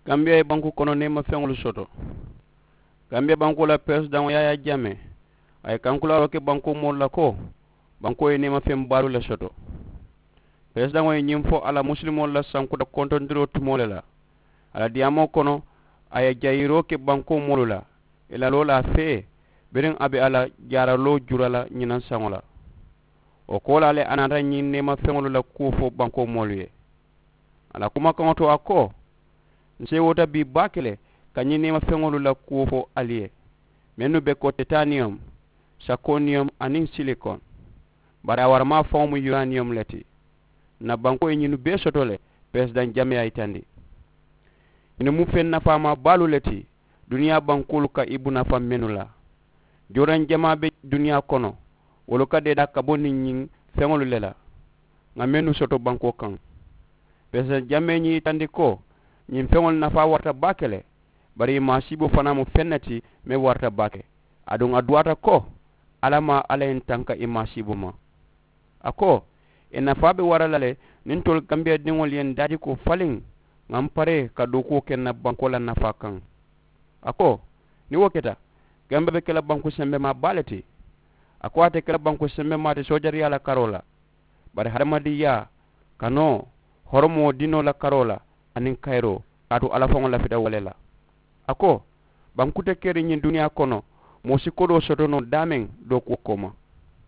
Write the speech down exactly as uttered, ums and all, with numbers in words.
Gambiya ye banku kono neemafeŋolu soto. Gambiya bankoo la peresidaŋo yaayaa jamee a ye kankulaaroo ke bankoo moolu la ko bankoo ye neemafeŋ baalu le soto. Peresidaŋo ye ñiŋ fo a la musulimoolu la sankuta kontondiroo tumoo le la. A la diyaamoo kono a ye jayiroo ke bankoo moolu la i la loo la a fee biriŋ a be a la jaaraloo jura la ñinaŋ saŋo la. Wo koolaa le a naata ñiŋ neemafeŋolu la kuwo fo bankoo moolu ye. A la kumakaŋo to a ko, n seewoota bii baake le ka ñiŋ neemafeŋolu la kuwo fo ali ye mennu be ko tetaniyom, sakoniyom aniŋ silikon. Bari a waramaa faŋo mu yuraniyom le ti. N na bankoo ye ñinnu bee soto le peresidaŋ jamee ye a yitandi. Ñinnu mu feŋ nafaamaa baalu le ti duniyaa bankoolu ka i bunafa mennu la. Jooraŋ jamaa be duniyaa kono wolu ka deedaa ka bo niŋ ñiŋ feŋolu le la ŋa mennu soto bankoo kaŋ. Peresidaŋ jamee ñiŋ yitandi ko ñiŋ feŋolu nafaa warata baake le. Bari i maasiiboo fanaa mu feŋ ne ti meŋ warata baake. Aduŋ a duwaata ko alla maa alla ye n tanka i maasiiboo ma. A ko i nafaa be wara la le niŋ ntolu gambiyadiŋolu ye n daadikoo faliŋ ŋa m paree ka dookuwo ke n na bankoo la nafaa kaŋ. A ko niŋ wo keta gambee be ke la banku sembemaa baa le ti. A ko a te ke la banku sembemaa ti soojariyaa la karoo la bari hadamadiŋyaa, kanoo, horomoo dinoo la karoo la aniŋ kayiroo kaatu alla faŋo lafita wo le la. A ko banku te keriŋ ñiŋ duniyaa kono moo si kodoo soto noo daameŋ dookuwo kooma.